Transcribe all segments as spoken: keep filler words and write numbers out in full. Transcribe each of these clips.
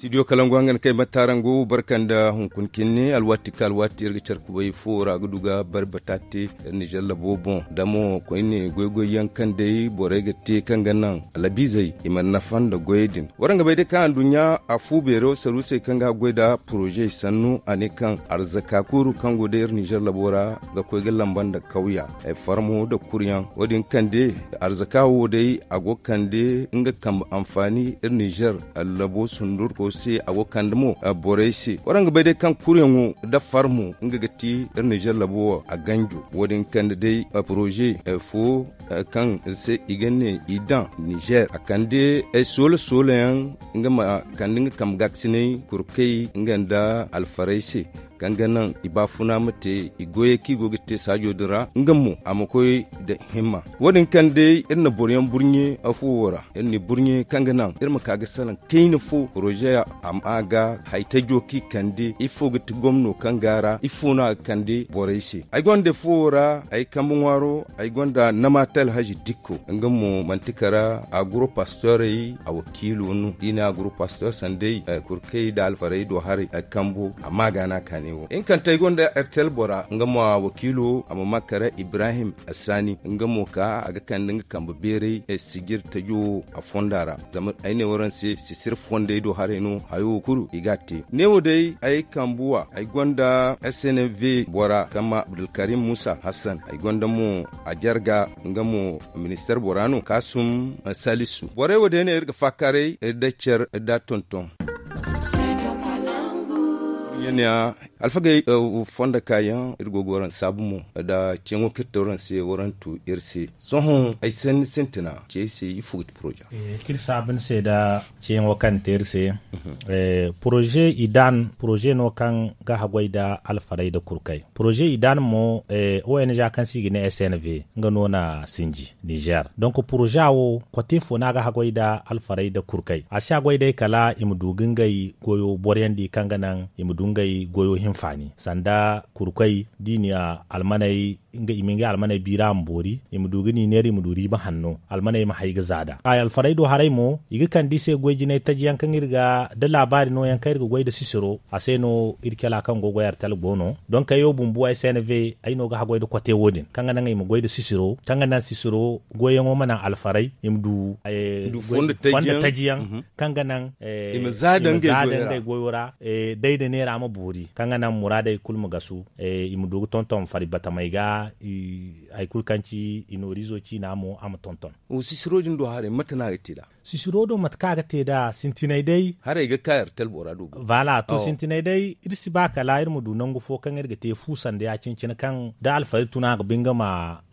Studio kalangu hangan kay mattarangu barka nda hunkuna kinne alwaati ka alwaati iri ga care kubay fo ra ga du ga bari bataate iri nizer labo boŋ da mo koyne goy-goy yaŋ kaŋ day borey ga te kaŋ ga naŋ alabizey i mana nafa nda goyey din. Waraŋ ga bay day kaŋ anduɲɲa a fu beero saruusey kaŋ ga goy nda porozey sannu a ne kaŋ arzaka kuru kaŋ go day iri nizer labo ra ga koy ga lamba nda kawya farmo nda kuryaŋ wo- din kande arzaka wo day a go ga kande nga kambe anfaani iri nizer labo sundurko se a go ga kande mo borey se. Waraŋ ga bay day kaŋ kuryaŋo nda farmo nga ga ti iri nizer labo wo a ganjo wo- din kande day poroze fo kaŋ se i ga ne i daŋ nizer a kande soola-soola yaŋ nga ma kande nga kambe gaakasinay kurkey nga nda alfarey se kaŋ ga naŋ i baafuna ma te i goyey kaŋ i go ga te saajo din ra nga mo a ma koy nda himma. Wo- din kaŋ day iri na boro yaŋ burɲe afo wo ra iri na i burɲe kaŋ ga naŋ iri ma ka ga salaŋ kayna fo poroze a ma a ga hari tajo kaŋ i kande ifo ga ti gomno kaŋ go a ra ifo no a ga kande borey se. Ay gonda fo wo ra ay kambe ŋwaaro ay gonda namaate alhazi dikko nga mo manti kara aguro pastorey a wakiilo no da i ne aguro pastor sanday kurkey nda alfarey do haray ay kambo amma a ga no a kaani wo hinkanta ay gonda ertel bora nga mo a wakiilo a ma ma kara ibrahim assaani nga mo ka a ga kande nga kambe beeray sijir tajo wo a fonda ra zama ay ne waraŋ se sisir fondey do haray no hayo wo kulu i ga a te ne wo day ay kambuwa ay gonda s n v bora kaŋ ma abdulkarim musa hassan ay gonda mo a jarga nga mo minister bora no kaasum salisu borey wo day no iri ga faakaaray iri day care iri da tonton. Alfagey, fondo kaayaŋ iri go ga waraŋ saabu mo nda ceeŋo kaŋ iri te waraŋ se waraŋ tu iri se sohõ ay sintina ce ay se ifo ga ti poroze. Kaŋ iri saabu ni se nda ceeŋo kaŋ te iri se poroze i daan poroze no kaŋ ga haggoy nda alfarey nda kurkey poroze i daan mo o n g kaŋ se i ga ne s n v nga no na sinji nizer donk poroze wo kote fo no a ga haggoy nda alfarey nda kurkey a si haggoy day kala i ma du ga ngey goyo boroyandi kaŋ ga naŋ i ma du ngey goyo hinfaani sanda kurkey da i na almaney nga i ma ngey almaney biira a ma boori i ma du ga ni neera i ma du riiba hanno almaney ma hay ga za nd'a alfarey do haray mo i ga kande i se goy jinay taji yaŋ kaŋ iri ga da laabaari no yaŋ kaŋ iri ga goy nda sisiro a se no iri cala kaŋ go ga goy artel go no donk ay wo bumbo ay se ni ve ay no ga haggoy nda kote wo- din kaŋ ga naŋ i ma goy nda sisiro kaŋ ga naŋ sisiro goyyaŋo ma naŋ alfarey i ma du fondo taji yaŋ kaŋ ga naŋ i ma za nda ngey goyo ra day nda neera ma boori kaŋ ga naŋ muraadey kulu ma gasu i ma du ga tonton fari batamey ga hari kulu kaŋ ci i nooriizo ciina mo a ma tonton. Sisiro din do haray mate no a ga te nd'a? Sisiro do mate kaŋ a ga te nd'a sintinay day haray ga ka ertel bora do go. Voilà to sintinay day iri si ba kala iri ma du nangu fo kaŋ iri ga te fu sanda ya- cine kaŋ da alfarey tun a ga ba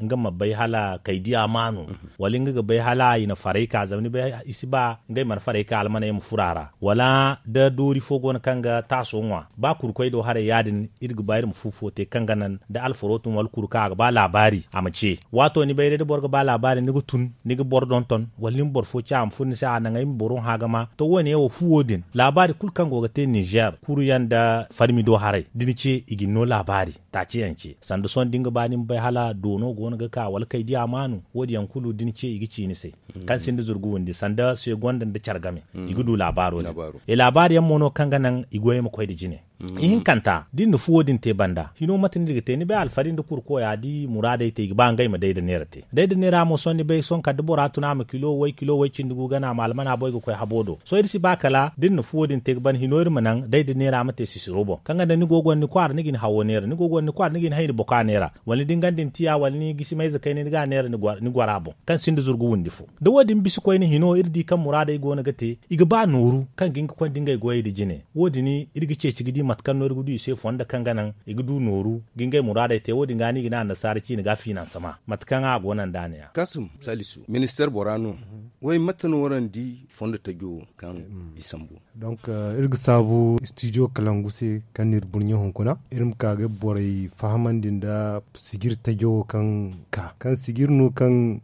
nga ma bay hala kay diya maanu wala nga ga bay hala i na faray ka zama ni bay i si ba ngey mana faray ka almaney ma furo a ra wala da doori fo go no kaŋ ga taaso ŋwa ba kurkoy do haray ya- din iri ga ba iri ma fu fo te kaŋ ga naŋ da alfaro tun wala kuru kaŋ a ga ba laabaari a ma ce waato ni bay day da boro ga ba laabaari ni ga tun ni ga boro donton wala ni ma boro fo ce a ma furo ni se a naŋ ay ma boro hã ga ma to wo- ne wo fu wo- din laabaari kulu kaŋ go ga te ninzeer kuru yaŋ nda farmi do haray da ni ce i ga ni no laabaari taaci yaŋ ce sanda sohõ da ni ga ba ni ma bay hala doono go no ga ka wala kay diya maanu wo- din yaŋ kulu da ni ce i ga ci ni se kaŋ sinda zurgu windi sanda segonda nda care game i ga du laabaaro din e laabaari yaŋ mo no kaŋ ga naŋ i goyey ma koy nda jine ihinkanta da iri na fuwo din te banda hino mate no iri ga te ni bay alfari nda kurkoya da i muraadey te i ga ba ngey ma day nda neera te day nda neera mo sohõ ni bay sohõ kala da bora tun a ma kilo way kilo way cindi gu gana a ma almana boy ga koy habo do sohõ iri si ba kala da iri na fuwo din te ga ban hino iri ma naŋ day nda neera ma te sisiro boŋ kaŋ ga naŋ ni go gonda ni kwaara ni ga ni hawo neera ni go gonda ni kwaara ni ga ni hay ni boka neera wala ni dingandi ni tiya wala ni gisi mayze kayna ni ga a neera ni gora boŋ kaŋ sinda zurgu windi fo da wo- din bisa koyne hino iri di kaŋ muraadey go no ga te i ga ba nooru kaŋ ga hin ga konda ngey goyey nda jine wo- din iri ga ceeci ga di mate kaŋ no iri ga du i se fondo kaŋ ga naŋ i ga du nooru ga ngey muraadey te wo- din ga no i ga ne annasaara ciine ga finansama mate kaŋ a go no nda a ne ya kasum salisu ministeer bora no way mate no waraŋ di fondo tajo kaŋ i sambu donc iri ga saabu studio kalangu se kaŋ no iri burɲe hunkuna iri ma ka ga borey fahamandi nda sijir tajo kaŋ ka kaŋ sijir no kaŋ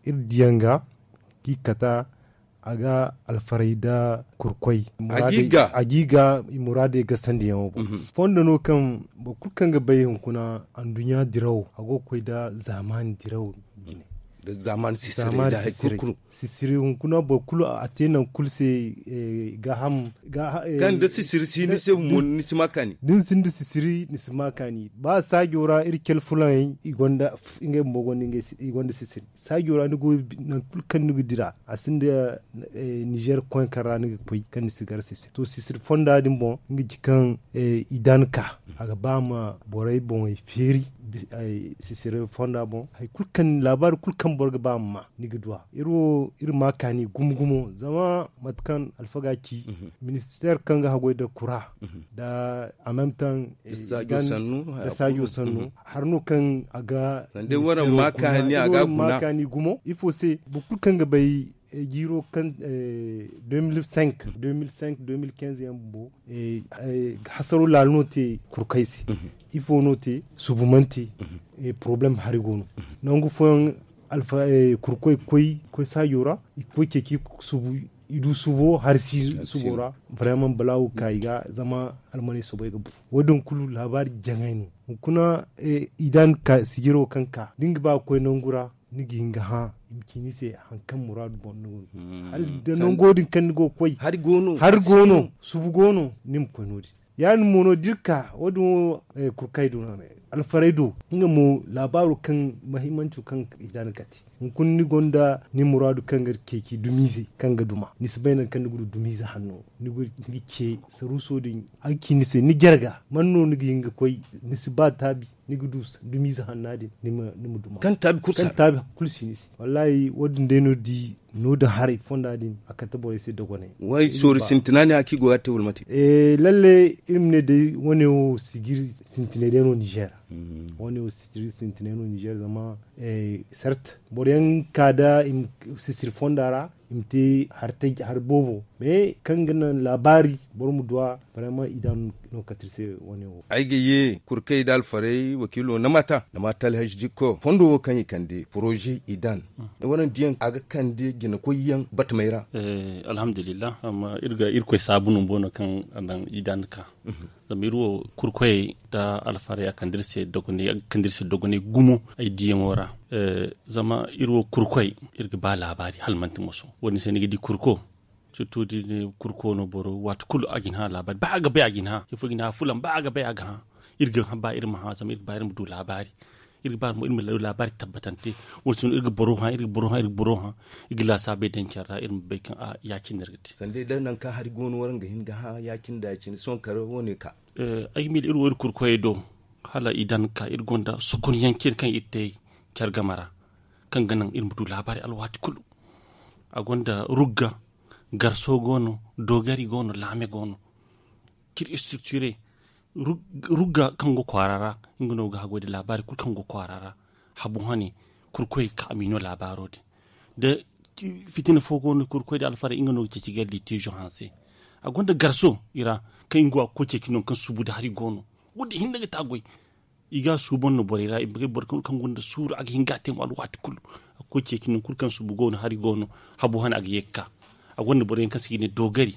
iri diyaŋ ga kaŋ i kata a ga alfaray nda kurkoy a ga i ga i muraadey gasandi yaŋo boŋ. Fondo no kaŋ boro kulu kaŋ ga bay hunkuna anduɲɲa dirawo a go ga koy nda zaamaani dirawo jine. Sisiri hunkuna boro kulu a te nangu kulu se. Gaaham kaŋ da sisiri si ni se mo ni si ma kaani. Da ni sinda sisiri ni si ma kaani ba saajo ra iri cale fulaŋey i gonda ngey bumbo gonda sisiri. Saajo ra ni go nangu kulu kaŋ ni ga dira a sinda nizer koy kaŋ ra ni ga koy kaŋ ni si gar sisiri to sisiri fonda din boŋ nga ci kaŋ i dan ka a ga ba ma borey boŋey feeri. Sisiri fonda boŋ hari kulu kaŋ laabaari kulu kaŋ boro ga ba ma ma ni ga du a iri wo iri ma kaani gumo gumo zama mate kaŋ alfaga ci ministeer kaŋ ga haggoy nda kura nda a même temps nda saajo sannu hari no kaŋ a ga ma kaani gumo ifo se boro kulu kaŋ ga bay jiiro kaŋ deux mille cinq deux mille cinq deux mille quinze yaŋ bumbo hasaro laala no te kurkay se. Ifo no te subu mana te problème hari go no nangu fooyaŋ kurkoy ga koy saajo ra i ga koy ceeci subu i du subo hari si subo ra. Vraiment balaawo ga ka i ga zama almaney soobay ga bu wo- din kulu laabaari jaŋay no. Hunkuna i dan ka sijiro kaŋ ka da ni ga ba ga koy nangu ra ni ga hin ga hã i ma ci ni se hari kaŋ muraadu boŋ no. Hala da nango din kaŋ ni go ga koy hari go no subu go no ni ma koy no- din ya- din mo no da iri ka wo- din wo kurkay do no alfaray do nga mo laabaaro kaŋ mahimmanco kaŋ i dan ga te hunkuna ni gonda ni muraadu kaŋ ga ceeci dumiize kaŋ ga duma ni si bay nangu kaŋ ni ga du dumiize hanno ni ga ce saruuso din a ga ci ni se ni jarga man no ni ga hin ga koy ni si ba taabi ni ga du dumiize hanna din ni ma duma kaŋ taabi kulu si ni se. Wallaahi wo- din day no di no- din haray fonda din a kate borey se dogonay. Way soori sintina ne a kaŋ i go ga te wala mate? Lalle iri ma ne day wane wo sijiri sintinay day no nizer. Wane wo sijiri sintinay no nizer zama sert boro yaŋ ga ka nda sisiri fonda ra i ma te hari boobo mais kaŋ ga naŋ laabaari boro ma du a. Vraiment i dan no kate iri se wane wo. Ay ga ye kurkay nda alfaray wakiilo namata namata alhazi dikko fondo wo kaŋ i kande poroze i dan. Wane diyaŋ a ga kande jinakoy yaŋ batamay ra. Alhamdulillah amma iri ga irkoy saabu no boobo no kaŋ a daŋ i dan ka zama iri wo kurkoyey nda alfaray a kande iri se dogonay gumo. Ay diyaŋo ra zama iri wo kurkoy iri ga ba laabaari hala manti moso wo- din se ni ga di kurko sirtu da ni ne kurko no boro waati kulu a ga ni hã laabaari ba a ga bay a ga ni hã ifo ga ni hã fulaŋ ba a ga bay a ga hã. Iri ga ba iri ma hã zama iri ga ba iri ma du laabaari iri ga ba iri ma du laabaari tabbatante. Wala si no iri ga boro hã iri ga boro hã iri ga boro hã iri ga laasaabey daŋ care ra iri ma bay kaŋ a ya- cine no iri ga te. Sanda day da nangu kaŋ hari go no waraŋ ga hin ga hã ya- cine da ya- cine sohõ kala wo- ne ka. Ay ga miila iri wo iri kurkoyey do hala i daŋ ga ka iri gonda sokonyaŋ cine kaŋ iri te care game ra kaŋ ga naŋ iri ma du laabaari alwaati kulu. A gonda rugga garso go no doogari go no laame go no. Kiri istrikture rugga kaŋ go kwaara ra nga no ga haggoy nda laabaari kulu kaŋ go kwaara ra. Habu hane kurkoy ga ka a ma i no laabaaro din da fitina fo go no kurkoy nda alfaray nga no ga ceeci ga liitiizo hanse. A gonda garso i ra kaŋ nga go a ga koy ceeci nangu kaŋ suubu nda hari go no. Wo- din hinne ga te a goy i ga a suuban no borey ra i ma bay boro kulu kaŋ gonda suuru a ga hin ga a te mo alwaati kulu. A ga koy ceeci nangu kulu kaŋ suubu go no hari go no habu hane a ga ye ga ka. A gonda boro yaŋ kaŋ se i ga ne doogari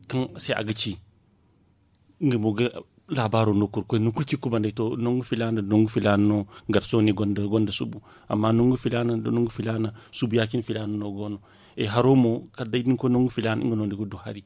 kaŋ se a ga ci nga mo ga laabaaro no kurkoy nangu kulu ci kubandey to nangu filaana nda nangu filaana no. Garso ne gonda suubu amma nangu filaana nda nangu filaana suubu ya- cine filaana no go no. Haro mo kala day da ni koy nangu filaana nga no ni ga du hari.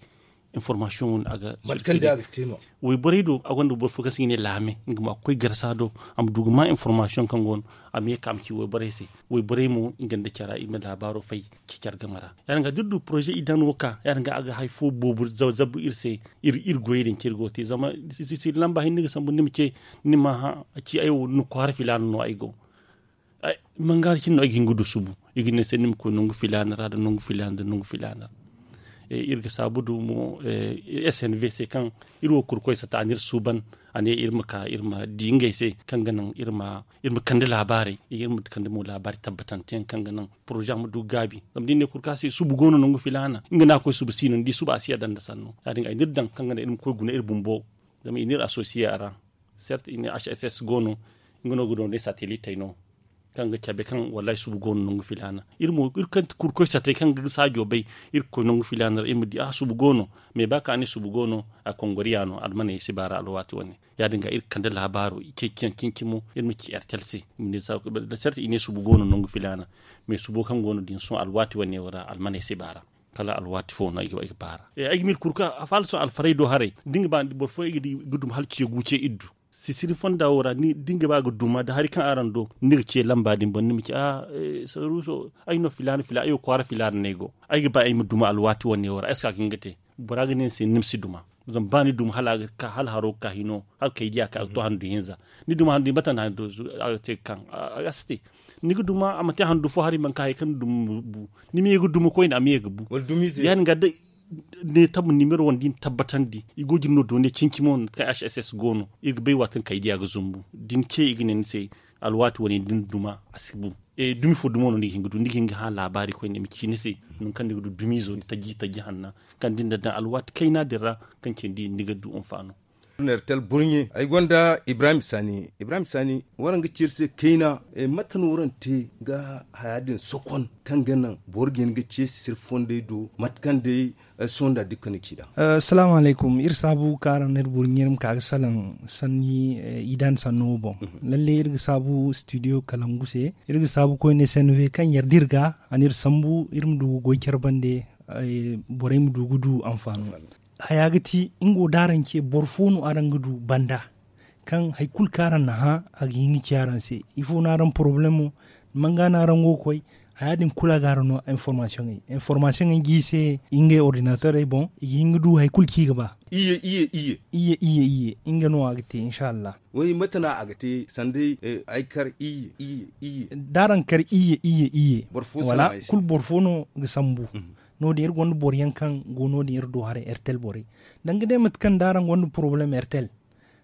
Informaasiyoŋ wo- din a ga mate kaŋ day a ga te no. Wayborey do a gonda boro fo kaŋ se i ga ne laame nga mo a ga koy garsa do a ma du ga ma informaasiyoŋ kaŋ go no a ma ye ga ka a ma ci wayborey se. Wayborey mo nga nda cara i ma laabaaro fay ci care game ra. Ya- din ga da iri du poroze i daŋ wo ka ya- din ga a ga hari fo boobo zabu iri se. Iri goyey din kaŋ iri go ga te zama sisiri lamba hinne ga sambu ni ma ce ni ma hã a ci ay wo ni kwaara filaana no ay go. Mangaari cine no ay ga hin ga du subu i ga ne se ni ma koy nangu filaana ra nda nangu filaana nda nangu filaana ra. Iri ga saabu du mo s n v se kaŋ iri wo kurkoy sata a na iri suuban a ne iri ma ka iri ma di ngey se kaŋ ga naŋ iri ma kande laabaarey iri ma kande mo laabaari tabbatante yaŋ kaŋ ga naŋ poroze ma du ga gaabi. Zama da iri ne kurka se subu go no nangu filaana nga no a ga koy subu si no ni di subu a si yadda nda sanno ya- din ga ay na iri daŋ kaŋ ga naŋ iri ma koy guna iri bumbo. Zama i na iri asosiye a ra. Sert i ne hss go no nga no ga doonay satelitey no. kaŋ ga cabe kaŋ wallahi subu go no nangu filaana. Iri mo iri kaŋ ti kurkoy satay kaŋ ga saajo bay, iri ga koy nangu filaana ra iri ma di a subu go no. Mais ba kaŋ a ne subu go no, a kongoriya no almaney si baara alwaati wane. Ya- din ga iri ga kande laabaaro i ceeciyaŋ cin-cimo iri ma ci ertel se. Da sarta i ne subu go no nangu filaana. Mais subo kaŋ go no din sohõ alwaati wane wo ra almaney si baara. Kala alwaati fo no ay ga baara. Ay ga miila kurka a faala sohõ alfarey do haray da ni ga ba boro fooyaŋ ay ga di ga duma hala ciya gu ce iddu. Sisiri fonda wo ra da ni ga ba ga duma da hari kaŋ araŋ do ni ga ce lamba din boŋ ni ma ci a saruuso ay no filaana filaana ay wo kwaara filaana no ay go. Ay ga ba ay ma duma alwaati wane wo ra ay si ka ga hin ga te. Bora ga ne ni se ni ma si duma. Zama ba ni duma hala a ga ka hala haro ga ka hino hala kay diya ka ga to handu hinza. Ni duma handu hinza bata na handu a ga te ga kaŋ a ga si te. Ni ga duma a ma te handu fo hari manka hari kaŋ ni duma bu. Ni ma ye ga duma koyne a ma ye ga bu. Ya- din ga da ne tabu nimero wanda i na tabbatandi i go jin no doone cin-cimo no kaŋ hss go no i ga bay waati kaŋ kay diya ga zumbu da ni ce i ga ne ni se. Alwaati wane da ni duma a si bu. Dumi fo dumo no ni ga hin ga du ni ga hin ga hã laabaari koyne i ma ci ni se. Nangu kaŋ ni ga du dumiizo taji taji hanna kaŋ da ni na daŋ alwaati kayna din ra kaŋ cindi ni ga du anfaano. Ertel burɲe ay gonda ibrahim saani. Ibrahim saani waraŋ ga ci iri se kayna. Mate no waraŋ te ga haya din sokon kaŋ ga naŋ boro ga hin ga ceesi se iri fondey do mate kaŋ day sohõ nda dikka ni ci nd'a. Salaamu alaykum iri saabu kaŋ araŋ na iri burɲe iri ma ka ga salaŋ sanni idan sanno wo boŋ. Lalle iri ga saabu studio kalangu se iri ga saabu koyne se no we kaŋ yarda iri ga a na iri sambu iri ma du ga goy care bande. Borey ma du ga du anfaano. Haya ga ti nga wo da araŋ ce boro fo no araŋ ga du banda kaŋ hari kulu kaŋ araŋ na hã a ga hin ga ci araŋ se. Ifo no araŋ porobalemo? Manga no araŋ go ga koy? Haya din kulu a ga araŋ no informasiyoŋey informasiyoŋey ga i se ngey ordinaterey boŋ i ga hin ga du hari kulu kaŋ i ga ba. Iyye iyye iyye iyye iyye iyye nga no a ga te inshallah. Way mate no a ga te sanday? Ay kar iyye iyye iyye da araŋ kar iyye iyye iyye. Wala kulu boro fo no ga sambu. No- din iri gonda boro yaŋ kaŋ go no- din iri do haray ertel borey danga day mate kaŋ da araŋ gonda porobalem ertel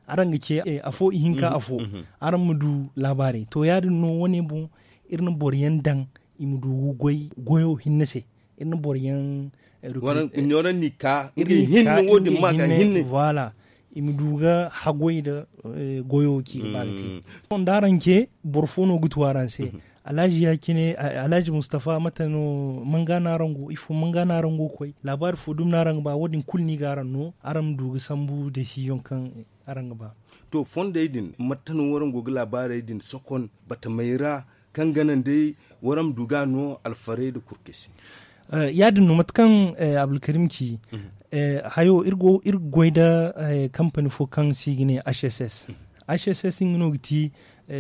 araŋ ga ce afo ihinka afo. Araŋ ma du laabaarey to ya- din no wo- ne boŋ iri na boro yaŋ daŋ i ma du ga goy goyo hinne se. Iri na boro yaŋ iri na i ka nga hinne wo- din ma ga hinne. Voilà. I ma du ga haggoy nda goyo kaŋ i ga ba ga te. Sohõ da araŋ ce boro fo no ga tu araŋ se. Alhaji ya- cine alhaji mustafa mate no? Manga no araŋ go ifo manga no araŋ go ga koy laabaari fo dumi no araŋ ga ba wo- din kulu no i ga araŋ no araŋ ma du ga sambu desiziyoŋ kaŋ araŋ ga ba. To fondey din mate no waraŋ go ga laabaarey din sokon batamey ra kaŋ ga naŋ day waraŋ ma du ga a no alfarey nda kurkey se? Ya- din no mate kaŋ abdulkarim ci hayo iri ga goy nda kampani fo kaŋ se i ga ne hss. Hss nga no ga ti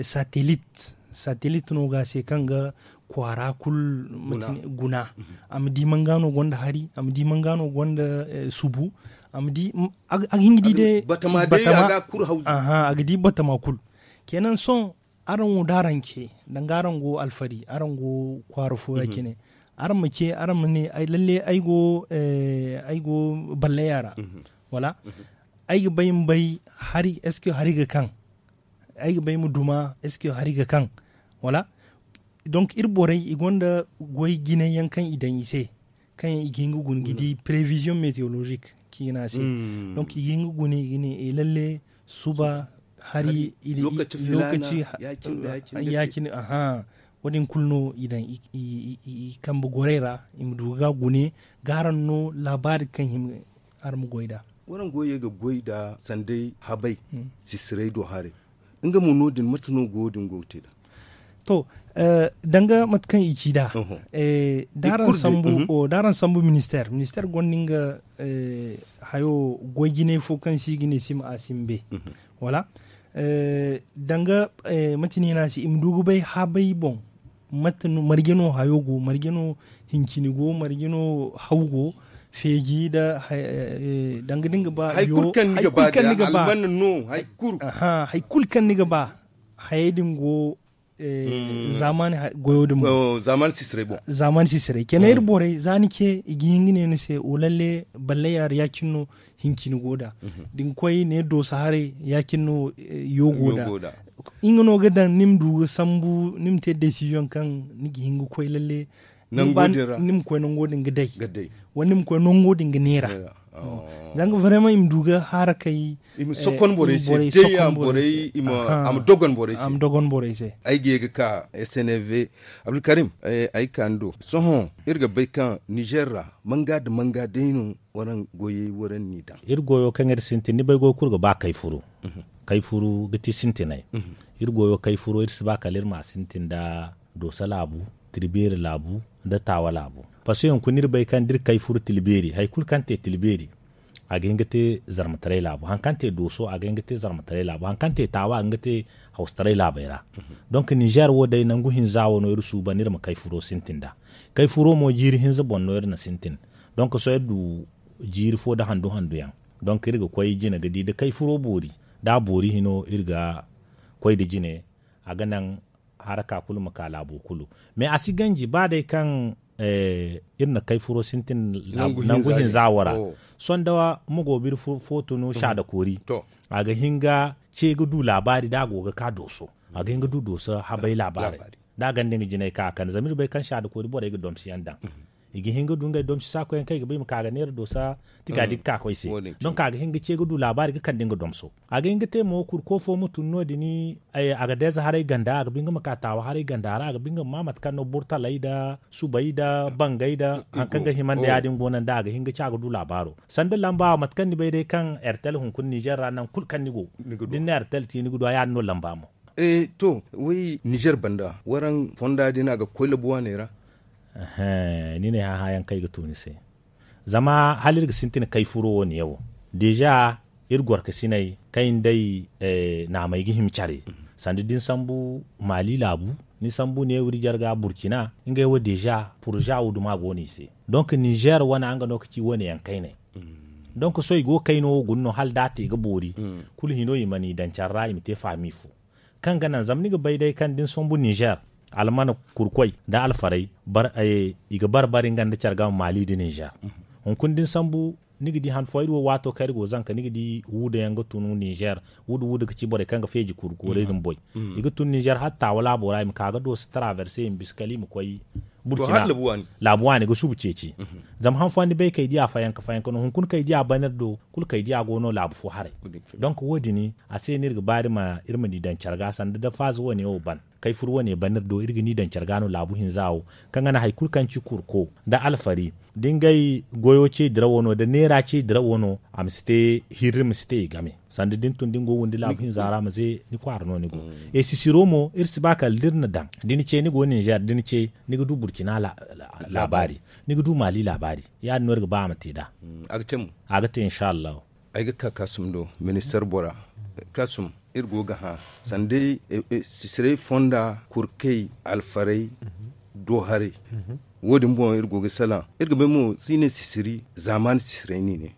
satelit. Satelit no ga a se kaŋ ga kwaara kulu guna. A ma di manga no gonda hari a ma di manga no gonda subu. A ma di a ga hin ga di day batama day a ga kulu hawzu. Aha a ga di batama kulu. Kenan sohõ araŋ wo da araŋ ce danga araŋ go alfari araŋ go kwaara fo ya- cine araŋ ma ce araŋ ma ne lalle ay go ay go ballaya ra. Wala ay ga bay ma bay hari est ce que hari ga kaŋ ay ga bay ma duma est ce que hari ga kaŋ? Wala donc iri borey i gonda goy jinay yaŋ kaŋ i daŋ i se kaŋ yaŋ i ga hin ga guna ga di prévision météorologique kaŋ i ga ne a se. Donc i ga hin ga guna i ga ne lalle suba hari lokaci ya- cine aha wo- din kulu no i daŋ i kambe gorey ra i ma du ga gune ga araŋ no laabaari kaŋ hima araŋ ma goy nd'a. Waraŋ go ye ga goy nda sanday habay sisirey do haray nga mo no- din mate no go wo- din go ga te nd'a? To danga mate kaŋ i ci nd'a da araŋ sambu ministère ministère gonda nga hayo goy jinay fo kaŋ se i ga ne sima a simbe. Wala danga mate no i ne a se i ma du ga bay habay boŋ mate no marje no hayo go marje no hincini go marje no haw go feeji nda danga da ni ga ba hari kulu kaŋ ni ga ba hari kulu kaŋ ni ga ba hayey din go zaamaani goyo din boŋ zaamaani sisiray kena iri borey za ni ce i ga hin ga ne ni se wo lalle balle yaara ya- cine no hincini go nd'a da ni koy ne doosa haray ya- cine no yo go nd'a nga no ga daŋ ni ma du ga sambu ni ma te desiziyoŋ kaŋ ni ga hin ga koy lalle ni ma koy nango din ga day wala ni ma koy nango din ga neera Zanga vraiment i ma du ga harakay. I ma sokon borey se day a borey i ma a ma dogon borey se. Ay ga ye ga ka s n f. Abdulkarim, ay ka ni do sohõ iri ga bay kaŋ nizer ra manga nda manga day no waraŋ goyey waraŋ n'i daŋ. Iri goyo kaŋ iri sintin ni bay goy kulu ga ba kay furu. Kay furu ga ti sintinay. Iri goyo kay furo iri si ba kala iri ma a sintin nda doosa laabu, tirbeeri laabu, nda taawa laabu. Paske hunkuna iri bay kaŋ da iri kay furu tilbeeri hari kulu kaŋ te tilbeeri, a ga hin ga te zarmataray laabu hari kaŋ te dooso a ga hin ga te zarmataray laabu hari kaŋ te taawa a ga hin ga te hawsataray laabey ra. Donk ninzeer wo day nangu hinza wo no iri suuban iri ma kay furo sintin nd'a. Kay furo mo jiiri hinza boŋ no iri na sintin. Donk sohõ iri du jiiri fo nda handu handu yaŋ. Donk iri ga koy jine ga di da kay furo boori, da a boori hino iri ga koy nda jine. A ga naŋ haraka kulu ma ka laabo kulu. Mais a si ganji ba day kaŋ iri na kay furo sintin nangu hinza wo ra. Sohõ da ma go biri fo tunu saada koori, a ga hin ga ce ga du laabaari da a go ga ka dooso. A ga hin ga du dooso habay laabaari da a gonda nga jinay ka a kande zama iri bay kaŋ saada koori borey ga domsi yaŋ daŋ. I ga hin ga du ngey domsi saakoyaŋ kaŋ i ga ba i ma ka ga neera doosa tiga da i ga ka koy se. Donk a ga hin ga ce ga du laabaari ga kande nga domso. A ga hin ga te mo kurko fo ma tun no- din. A ga deeza haray ganda a ga ba nga ma ka taawa haray ganda ra a ga ba nga ma ma mate kaŋ no burtaley nda subey nda bangey nda hari kaŋ ga hima nda ya- din go no nda a ga hin ga ci a ga du laabaaro. Sanda lamba mate kaŋ ni bay day kaŋ ertel hunkuna ninzeer ra nangu kulu kaŋ ni go da ni na ertel te ni ga du a ya- din no lamba mo. To, way ninzeer banda waraŋ fonda din a ga koy labu waaney ra. Ni ne hã hã yaŋ kaŋ ay ga tu ni se. Zama hala iri ga sintin kay furo wo- ne yaŋ wo deeza iri gorkasiney kaŋ i nda ay naamey ga hima care. Sanda da ni sambu maali laabu, ni sambu ne wiri jarga burkina ngey wo deeza poroza wo duma go no i se. Donk ninzeer wane nga no ga ci wane yaŋ kayney. Donk sohõ i go ga kayno wo guna no hala da a te ga boori. Kulu hino i mana i daŋ care ra i ma te faami fo. Kaŋ ga naŋ zama ni ga bay day kaŋ da ni sombu ninzeer, almana kurkoy nda alfarey i ga bare bare nga nda care game maali nda ninzeer. Hunkuna da ni sambu ni ga di han fooyaŋ iri wo waato kaŋ iri go zanka ni ga di wuuda yaŋ ga tun ninzeer. Wuuda wuuda ga ci borey kaŋ ga feeji kuru koorey din boy. I ga tun ninzeer hala taawa laabo ra i ma ka ga doosa taraaverse i ma bisa kala i ma koy burkina. Laabu waani ga subu ceeci. Zama han fooyaŋ ni bay kay di a fayanka fayanka no hunkuna kay di a ban iri do kulu kay di a go no laabu fo haray. Donk wo- din a se no iri ga ba iri ma ni daŋ care ga sanda da faaza wane wo ban kay furu wane ban iri do iri ga ni daŋ care ga no laabu hinza wo. Kaŋ ga naŋ hari kulu kaŋ ci kurko nda alfari da ngey goyo ce dirawo no da neera ce dirawo no a ma si te hirri ma si te i game. Sanda da ni tun da ni go ga windi laabu hinza ra ma ze ni kwaara no ni go. E sisiro mo iri si ba kala da iri na daŋ da ni ce ni go ninzeer da ni ce ni ga du burkina laabaari, ni ga du maali laabaari. Ya- din no iri ga ba a ma te nd'a. A ga te insa allahu. Ay ga ka kaasum do ministeer bora kaasum iri go ga hã sanda day sisirey fonda kurkey alfarey do haray. Wo- din boŋ iri go ga salaŋ iri ga bay mo si ne sisiri zaamaani sisirey no i ne.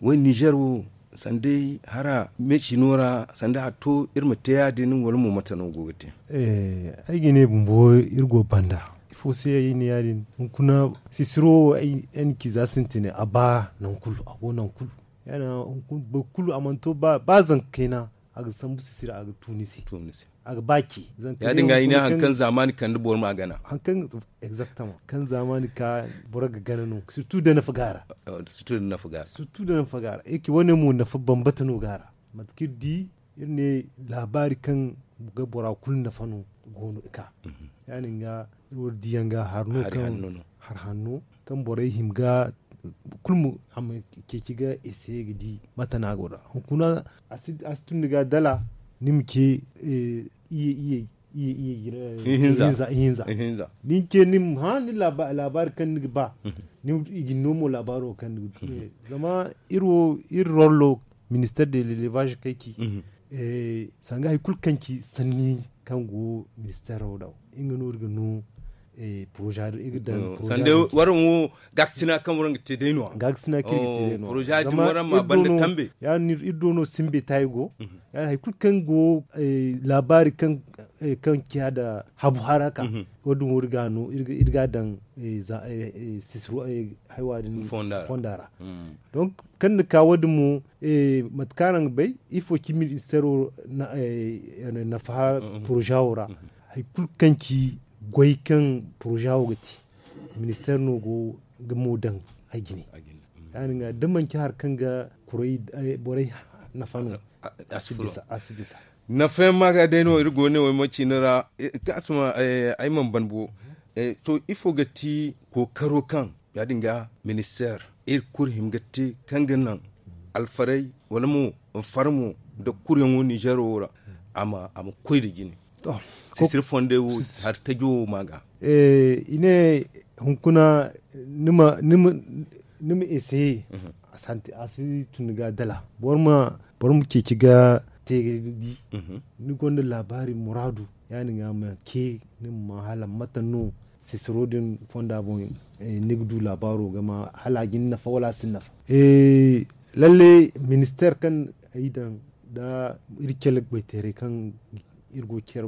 Way ninzeer wo sanda day hara meecino ra sanda a to iri ma te ya- din wala mo mate no go ga te? Ay ga ne bumbo iri go banda ifo se ay ne ya- din hunkuna sisiro wo ay na ci za sintina a ba nangu kulu a go nangu kulu. Ya- din hunkuna boro kulu a mana to ba zanka kayna a ga sambu sisira a ga tu ni se. A ga ba ce zanka ya- din ga i ne hari kaŋ zaamaani kande boro ma gana. Hari kaŋ exactement kaŋ zaamaani ka boro ga gana no surtout da nafa ga a ra. Surtout da nafa ga a ra. Surtout da nafa ga a ra e ci wane mo nafa bambata no ga a ra. Mate kaŋ iri di iri ne laabaari kaŋ ga bora kulu nafa no go no ga ka. Ya- din ga iri wo iri di yaŋ ga hari no kaŋ hari hanno kaŋ borey hima ga kulu a ma ceeci ga essayer ga di mate no a go nd'a hunkuna a si tun ni ga dala ni ma ce iyye iyye iyye iyye ihinza ihinza da ni ce ni ma hã ni laabaari kaŋ ni ga ba. I ga ni no mo laabaaro kaŋ ni ga ba zama iri wo iri rollo ministère de l'élevage kaŋ ay ci sanga hari kulu kaŋ ci sanni kaŋ go ministère wo da nga no iri ga no projet iri ga daŋ projet sanda waraŋ wo gaakasina kaŋ waraŋ ga te day no-ya gaakasina kaŋ iri ga te day no-ya projet din waraŋ ma banda tambe ya- din iri do no simbe taayi go ya- din hari kulu kaŋ go laabaari kaŋ ciya da habu haraka wo- din wo iri ga no iri ga daŋ sisiro haywa din fonda ra. Donc kaŋ ni ka wo- din mo mate kaŋ araŋ ga bay ifo ci ministère wo nafa projet wo ra hari kulu kaŋ ci goy kaŋ projet wo ga te ministère no go ga mo daŋ a jine. Ya- din ga da manci hari kaŋ ga kuray borey nafa no. A si bisa. Nafa yaŋ ma ga day no iri go ne way ma ciina ra. Kaŋ a si ma ay mana ban bo. To ifo ga ti kookaro kaŋ ya- din ga ministeer iri kulu hima ga te kaŋ ga naŋ alfarey wala mo farmo nda kuryaŋo ninzeero wo ra a ma koy nda jine. Sisiri fondey wo hari tajo wo ma ga. I ne hunkuna ni ma essayer a si tun ni ga dala boro ma ceeci ga te ga di ni gonda laabaari muraadu ya- din ga ma ke ni ma ma hala mate no sisiro din fonda boŋ ni ga du laabaaro ga ma hala a ga ni nafa wala a si ni nafa. Lalle ministeer kaŋ ay daŋ da iri cale goyteeray kaŋ iri go ga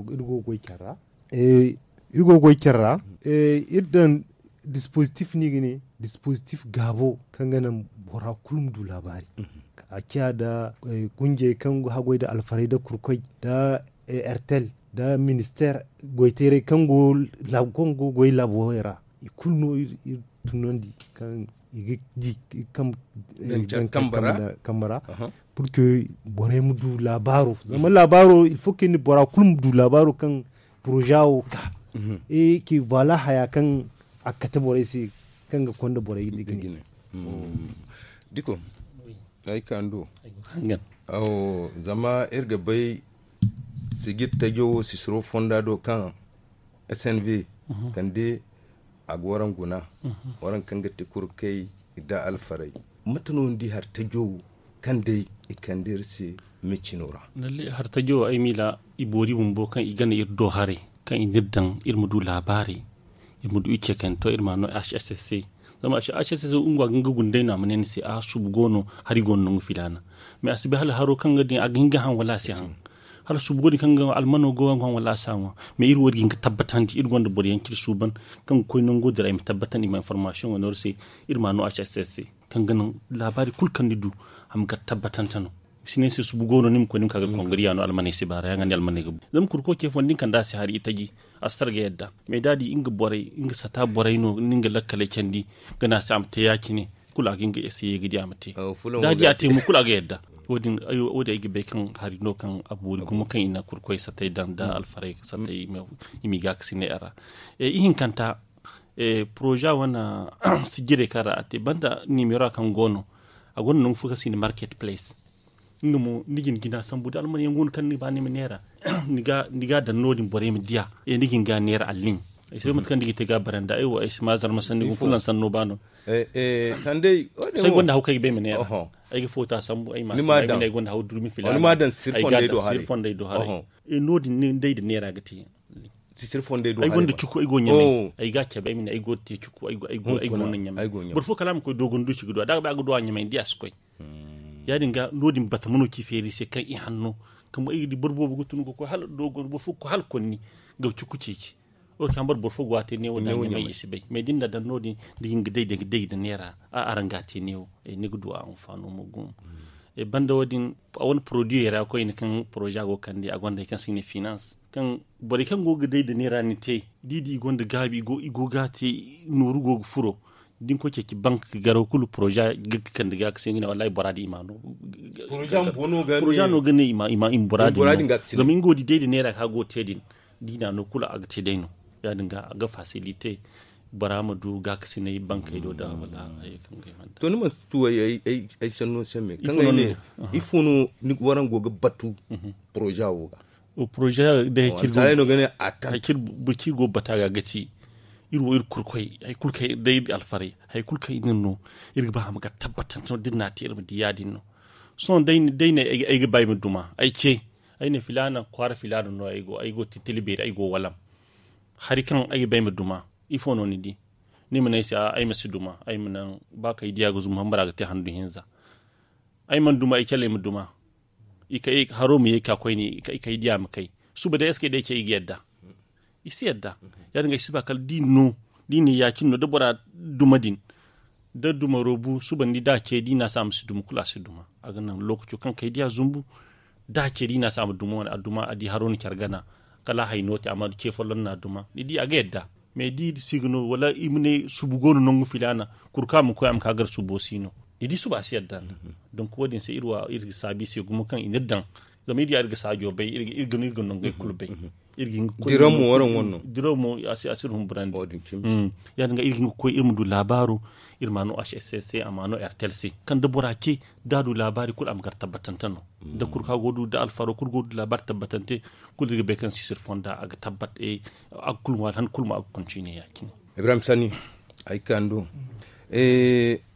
goy care ra iri go ga goy care ra iri daŋ dispozitif no i ga ne dispozitif gaabo kaŋ ga naŋ bora kulu ma du laabaari a ciya nda gunjey kaŋ ga haggoy nda alfarey nda kurkoy nda ertel nda ministeer goyteeray kaŋ go ga goy laabo ra i kulu no iri tunandi kaŋ i ga di kambe ra pur que borey ma du laabaaro zama laabaaro il faut que ni bora kulu ma du laabaaro kaŋ poroza wo ka ki voila haya kaŋ a ga kate borey se kaŋ ga konda borey ga ne. Diko ay ka ni do. Zama iri ga bay sijir tajo wo sisiro fonda do kaŋ snv kande a ga waraŋ guna waraŋ kaŋ ga ti kurkey nda alfarey mate no ni di hari tajo wo kaŋ day i kande iri se micino ra? Hari tajo wo ay miila i boori bumbo kaŋ i gana iri do haray kaŋ i n'iri daŋ iri ma du laabaarey iri ma du i cekante iri ma a no hss se. Zama hss se nga ga nga gunday no a ma ne ni se a subu go no hari go no nangu filaana. Mais a si bay hala haro kaŋ ga din a ga hin ga haŋ wala a si haŋ hala subu go din kaŋ ga almano go ga haŋ wala a si haŋ. Mais iri wo iri ga hin ga tabbatandi iri gonda boro yaŋ kaŋ iri suuban kaŋ ga koy nango dira i ma tabbatandi i ma information wane iri se. Iri ma a no hss se kaŋ ga naŋ laabaari kulu kaŋ ni du a ma gar tabbatante no. Si ne ni se subu go no ni ma koy ni ma ka ga kongariya no almaney si baara yaŋ ga ne almaney ga bu zama kurko ce fondo ni kanda a si hari itaji a si sara ga yadda. Mais da a di nga borey nga sata borey no ni nga lakkaley candi ga ne a se a ma te ya- cine kulu a ga hin ga essayer ga di a ma te. Da a di a te mo kulu a ga yadda. Wo- din ay ga bay kaŋ hari no kaŋ a boori gumo kaŋ i na kurkoy satay daŋ da alfarey satay i m'i ga a ga si ne a ra. Ihinkanta poroza wane sijirey kaŋ ra a te banda nimero kaŋ go no a gonda nangu fo kaŋ se i na market place. Nga mo ni ga ni jina sambu da alman yaŋ go no kaŋ ni ga ba ni ma neera. Ni ga a daŋ no- din borey ma diya ni ga ni ga neera allin. Ay si bay mate kaŋ ni ga te ga a baranda ay wo ay si ma zarma sanni gu fulaŋ sanno ba no. Sandey wo- din ay gonda haw kaŋ ay ga ba ay ma neera. Ay ga foota sambu ay ma sanni ay gonda haw durmi filaana ay ga a daŋ siri fondey do haray. No- din day da neera ga te. Sisiri fondey do haray ay gonda cuku ay go ɲamay ay ga a cabe ay ma ne ay go ga te cuku ay go no ɲamay. Boro fo kala a ma koy doogon duuci ga duwa da a ga bay a ga duwa ɲamay ni di a si koy. Ya- din ga no- din bata ma no ci feeri se kaŋ i hanno kaŋ ay ga di boro boobo ga tun ga koy hala doogon boro fo ga koy hala konni ga cuku ceeci. Wo kaŋ boro boro fo go a te neewo da ɲamay i si bay mais da ni na daŋ no- din da ga hin ga day da neera a araŋ ga a te neewo. Ni ga du a anfaano mo gumo. Banda wo- din a wane poroduwey ra koyne kaŋ poroza go ga kande a gonda hari kaŋ se i ne finance kaŋ borey kaŋ go ga day da neera ni te da i di i gonda gaabi i go ga a te nooru go ga furo. Da ni koy ceeci bank ga garaw kulu poroza ga kande ga ga se nga ne wallahi bora din i ma no. Poroza no ga ne i ma bora din zama nga wo di day da neera kaŋ a go ga te din. Da i na a no kulu a ga te day no. Ya- din ga a ga fasilite bora ma du gaakasinay bankey do da wala hayey kaŋ ga ay mana. To ni mana si tu ay sanno se me kaŋ ay ne ifo no waraŋ go ga batu poroza wo ga? Poroza day hay kulu baciri go bata ga ga ti iri wo iri kurkoy hay kulu kaŋ day iri alfaray hay kulu kaŋ iri no iri ga ba a ma ga tabbatante no da iri na a te iri ma di ya- din no. Sohõ day ne ay ga ba ay ma duma ay ce ay ne filaana kwaara filaana no ay go ay go titili beeri ay go walam. Hari kaŋ ay ga ba ay ma duma ifo no ni di? Ni ma ne ay se ay ma si duma ay ma naŋ ba kaŋ ay diya ga zumbu hambara ga te handu hinza. Ay mana duma ay cale ay ma duma. Haro ma ye ka koyne ay diya ma kay suba day eske day ce i ga yadda? I si yadda. Ya- din ga ay si ba kala da i no da i ne ya- cine no da bora duma din da duma roobu suba ni da a ce da i na se a ma si duma kulu a si duma a ga naŋ lookaco kaŋ kay diya zumbu. Da a ce da i na se a ma duma wane a duma a di haro na care gana kala a hay no te amma ce folloŋ na a duma ni di a ga yadda. Mais da i si ga no wala i ma ne subu go no nangu filaana kuru kaŋ a ma koy a ma ka gar subo si no. I di suba a si yadda. Donc wo- din se iri ga saabu i se gumo kaŋ i n'iri daŋ. Zama iri ya iri ga saajo bay, iri ga nongey kulu bay. Iri ga hin ga koy diraw mo waraŋ wane no. Diraw mo a si a si iri humburandi. Ya- din ga iri ga hin ga koy iri ma du laabaaro. Iri ma no a si a ma no rtl se kaŋ da bora ce, da a du laabaari kulu a ma gar tabbatante no. Da kulu kaŋ a go ga du da alfaro kulu go ga du laabaari tabbatante. Kulu iri ga bay kaŋ sisir fonda a ga tabbat. A ga kulu ŋwaari han kulu mo a ga kontine ya- cine. Ibrahim sani, ay ga ka ni do.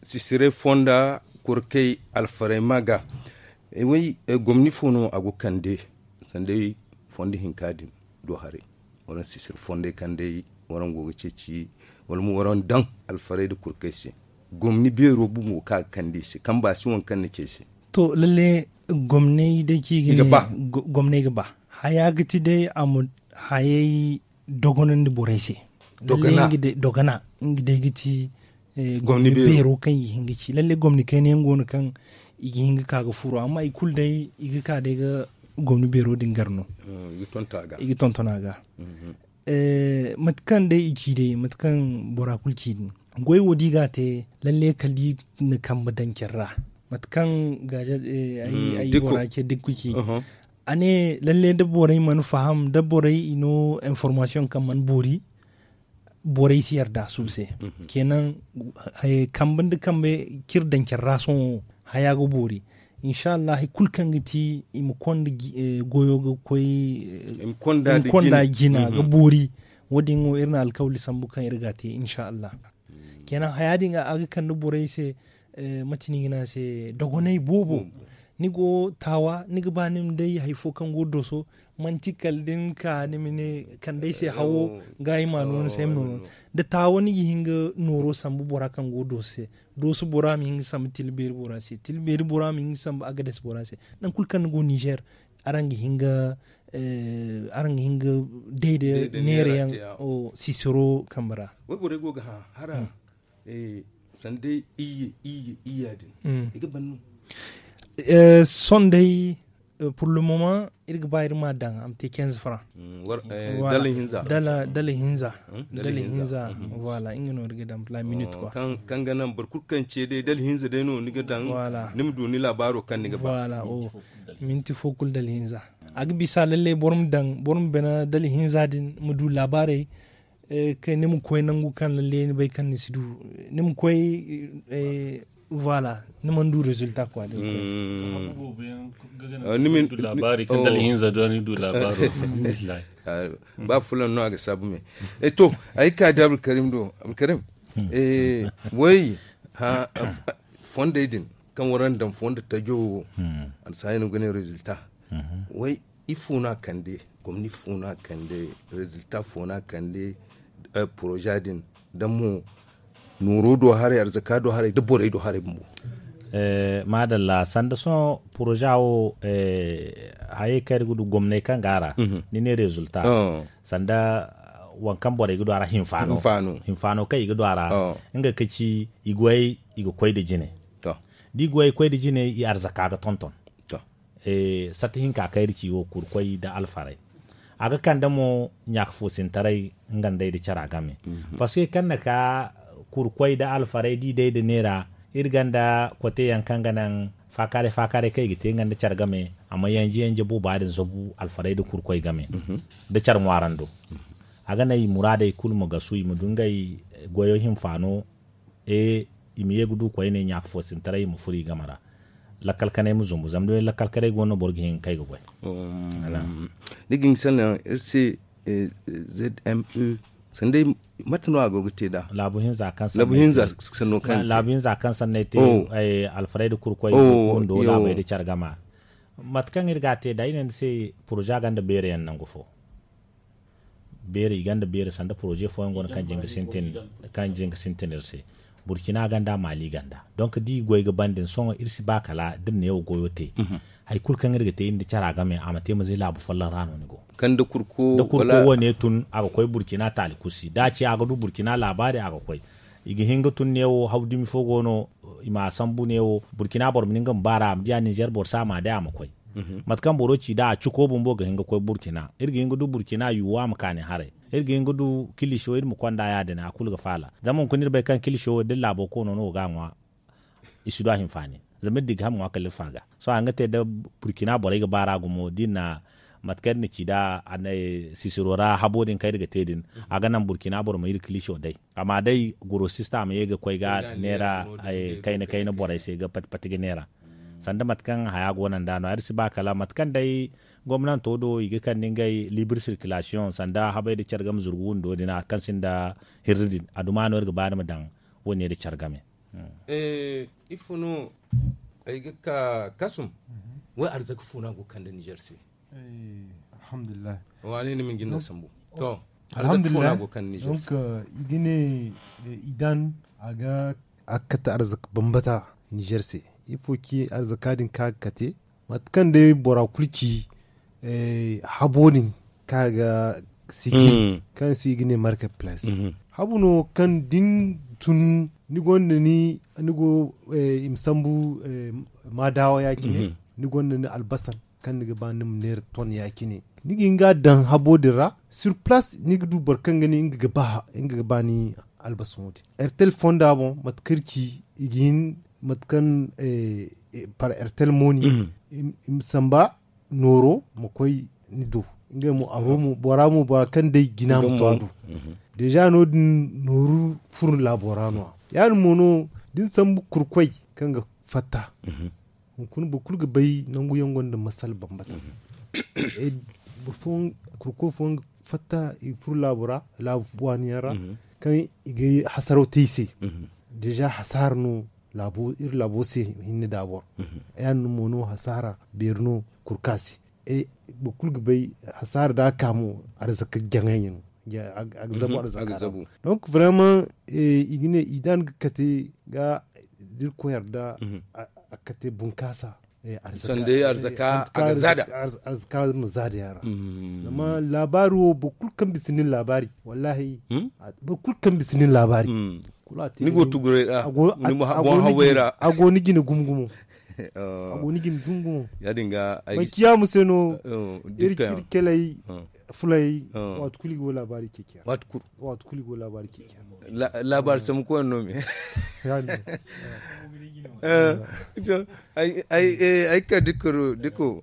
Sisire fonda, kurkey, alfarey ma ga. Way, gomni fo no a go ga kande? Sanda fondo hinka din do haray, waraŋ sisir fondey kaŋ day waraŋ go ga ceeci, wala mo waraŋ daŋ alfarey nda kurkey se. Gomni beero bumbo kaŋ a ga kande i se kaŋ ba si waŋ kaŋ ni ce ay se. To lalle, gomney day kaŋ i ga ne gomney ga ba haya ga ti day a ma hayey dogonandi borey se. Dogana nga day ga ti gomni beero kaŋ i ga hin ga ci lalle gomni kayna yaŋ go no kaŋ i ga hin ga ka ga furo amma i kulu day i ga ka day ga gomni beero din gar no. I ga tonton a ga. Mate kaŋ day i ci day mate kaŋ bora kulu ci din, goy wo da i ga a te, lalle kala da i na kambe daŋ care ra. Mate kaŋ gaaja ay bora ce dikku ci, a ne lalle da borey mana faham da borey i no information kaŋ mana boori, borey si yarda suba se. Kenan, kambe nda kambe kaŋ iri daŋ care ra sohõ, haya ga boori. Insa allah hari kulu kaŋ ga ti i ma konda goyo ga koy i ma konda jina ga boori. Wo- din wo iri na alkawli sambu kaŋ iri ga a te insa allah. Kenan haya din a ga kande borey se. Mate no i ga ne a se dogonay boobo. Ni go taawa ni ga ba ni ma day hari fo kaŋ go dooso, manti kala da ni ka ni ma ne kande ay se hawo ga ay ma nooro ni se ay ma nooro. Da taawa ni ga hin ga nooro sambu bora kaŋ go dooso se. Dooso bora ma hin ga sambu tila beeri bora se tila beeri bora ma hin ga sambu agades bora se. Nangu kulu kaŋ ni go nizer, araŋ ga hin ga day da neera yaŋ sisiro kambe ra. Way borey go ga hã hara sanda iyye iyye iyya din i ga ban no? Sohõ day, pour le moment iri ga ba iri ma a daŋ a ma te quinze francs. Dala hinza. Dala hinza. Dala hinza. Voilà nga no iri ga daŋ la minute quoi. Kaŋ ga naŋ boro kulu kaŋ ce day dala hinza day no ni ga daŋ. Ni ma du ni laabaaro kaŋ ni ga ba. Minti fo kulu dala hinza. A ga bisa lallai boro ma daŋ boro ma bana dala hinza din ma du laabaarey. Kay ni ma koy nangu kaŋ lalle ni bay kaŋ ni si du, ni ma koy. Voilà, ni mana du résultat quoi. Ni ma du laabaari kaŋ dala hinza do ni du laabaaro. Ba fulan no a ga saabu me. To, ay ka di abdulkarim do abdulkarim. Way, fondey din kaŋ waraŋ daŋ fondo tajo wo, a na saayi no ga ne résultat. Way, ifo no a kande? Gomni fo no a kande? Résultat fo no a kande? Projet din da mo nooro do haray arzaka do haray da borey do haray bumbo. Maadalla sanda sohõ projet wo, hayey kaŋ iri ga du gomney kaŋ go a ra, ni ne résultat, sanda waŋ kaŋ borey ga du a ra hinfaano. Hinfaano kaŋ i ga du a ra, nga ka ci i goyey i ga koy nda jine. Da i goyey koy nda jine i arzaka ga tonton. Sata hinka kaŋ iri ci wo kurkoy nda alfarey. A ga kande mo ɲaaka foosintaray nga nd'ey nda cara game. Parce que kaŋ na ka kurkoy nda alfarey da i day nda neera, iri gonda kote yaŋ kaŋ ga naŋ faakaaray faakaaray kaŋ i ga te nga nda care game. A ma yanje yanje booba din zabu alfarey nda kurkoy game nda care ŋwaarando. A ga naŋ i muraadey kulu ma gasu i ma du ngey goyo hinfaano. I ma ye ga du koyne ɲaaka foosintaray i ma furo i game ra. Lakkal kanay ma zumbu zama day lakkal kanay go no boro ga hin ga kay ga goy. Ni ga hin ga sanna iri se. Zme sanday mate no a go ga te nd'a? Laabu hinza kaŋ sanno kaŋ te laabu hinza kaŋ sanno ay te. Alfarayda kurkoy bundo laabay da care gama. Mate kaŋ iri ga a te nd'a i ne ni se poroze a gonda beere yaŋ nangu fo. Beere i gonda beere sanda poroze fooyaŋ go no kaŋ jin ga sintin iri se. Burkina gonda maali gonda. Donk da i goy ga ban din sohõ iri si ba kala da iri neewo goyo te. Hari kulu kaŋ iri ga te iri nda cara game a ma te ma zay laabu folloŋ ra no ni go. Da kurko wo ne tun a ga koy burkina taali kursi da a ci a ga du burkina laabaari a ga koy. I ga hin ga tun neewo haw dumi fo go no. I ma a sambu neewo burkina boro ma ni nga ma baara a ma di a ninzeer boro se a ma a day a ma koy. Mate kaŋ boro ci nd'a a cuko bumbo ga hin ga koy burkina iri ga hin ga du burkina yuwa ma kaani haray. Iri ga hin ga du kiliso iri ma konda ya- din a kulu ga faala. Zama hunkuna iri bay kaŋ kiliso wo da iri laabo koono no ga a ŋwa. i si du a hinfaani. Zama iri di ga ham ŋwa kala iri faaga sohõ a ga te da burkina borey ga baara gumo da iri na mate kaŋ iri na ci nd'a sisiro ra habo din kaŋ iri ga te din. A ga naŋ burkina boro ma iri kiliso day amma day gurosista ma ye ga koy ga neera kayna kayna borey se ga pati pati ga neera. Sanda mate kaŋ haya go no nd'a no iri si ba kala mate kaŋ day gomnanto do i ga kande ngey libre circulation sanda habey nda care game zurgu windo din a kaŋ sinda hirri din a duma no iri ga ba ni ma daŋ. Wo- ne nda care game. Ifo no ay ga ka kasum? Way arzaka fo no a go ga kande nizer se? Alhamdulillahi. Waani ni ma ni jinda sambu. To, arzaka fo no a go ga kande nizer se? I ga ne idan a ga kate arzaka bambata nizer se. Ifo ci arzaka din kaŋ a ga kate mate kaŋ day bora kulu ci habo din kaŋ a ga sigi kaŋ se i ga ne market place. Habu no kaŋ da ni tun ni gonda ni ni go i ma sambu maadawa ya- cine ni gonda ni albasan kaŋ ni ga ba ni ma neera ton ya- cine ni ga hin ga a daŋ habo din ra sur place ni ga du boro kaŋ ga ne nga ga ba ni albasan wo- din. Ertel fonda boŋ mate kaŋ iri ci i ga hin mate kaŋ par ertel mooni i ma samba nooro ma koy ni do. Ngey mo aro mo bora mo bora kaŋ day jina ma to a do. Deeza no- din nooru furo laabo ra no- ya ya- din mo no da ni sambu kurkoy kaŋ ga fatta hunkuna boro kulu ga bay nangu yaŋ gonda masala bambata. Kurkoy fooyaŋ ga fatta i furo laabo ra laabo waani yaŋ ra kaŋ i ga hasaraw te i se. Deeza hasaara no iri laabo se hinne da boro. Ya- din mo no hasaara beeri no kurka se. Boro kulu ga bay hasaara da a ka mo arzaka jaŋay no a ga zabu arzaka ra. Donc vraiment i ga ne i da ni ga kate ga da irkoy yarda a ga kate bunkaasa. Sanda arzaka a ga zaada arzaka ma zaada yaŋ ra. Zama laabaari wo boro kulu kaŋ bisa nin laabaari wallahi boro kulu kaŋ bisa nin laabaari. Ni go tuguray ra ni ma boŋ haway ra a go ni jine gumo gumo. A go ni jine gumo gumo. Ya- din ga ay manci ya mu se no iri kirkelay fulay waati kulu i go laabaari ceeciya waati kulu i go laabaari ceeciya. Laabaari sambu koy no me. Ay ka dikko dikko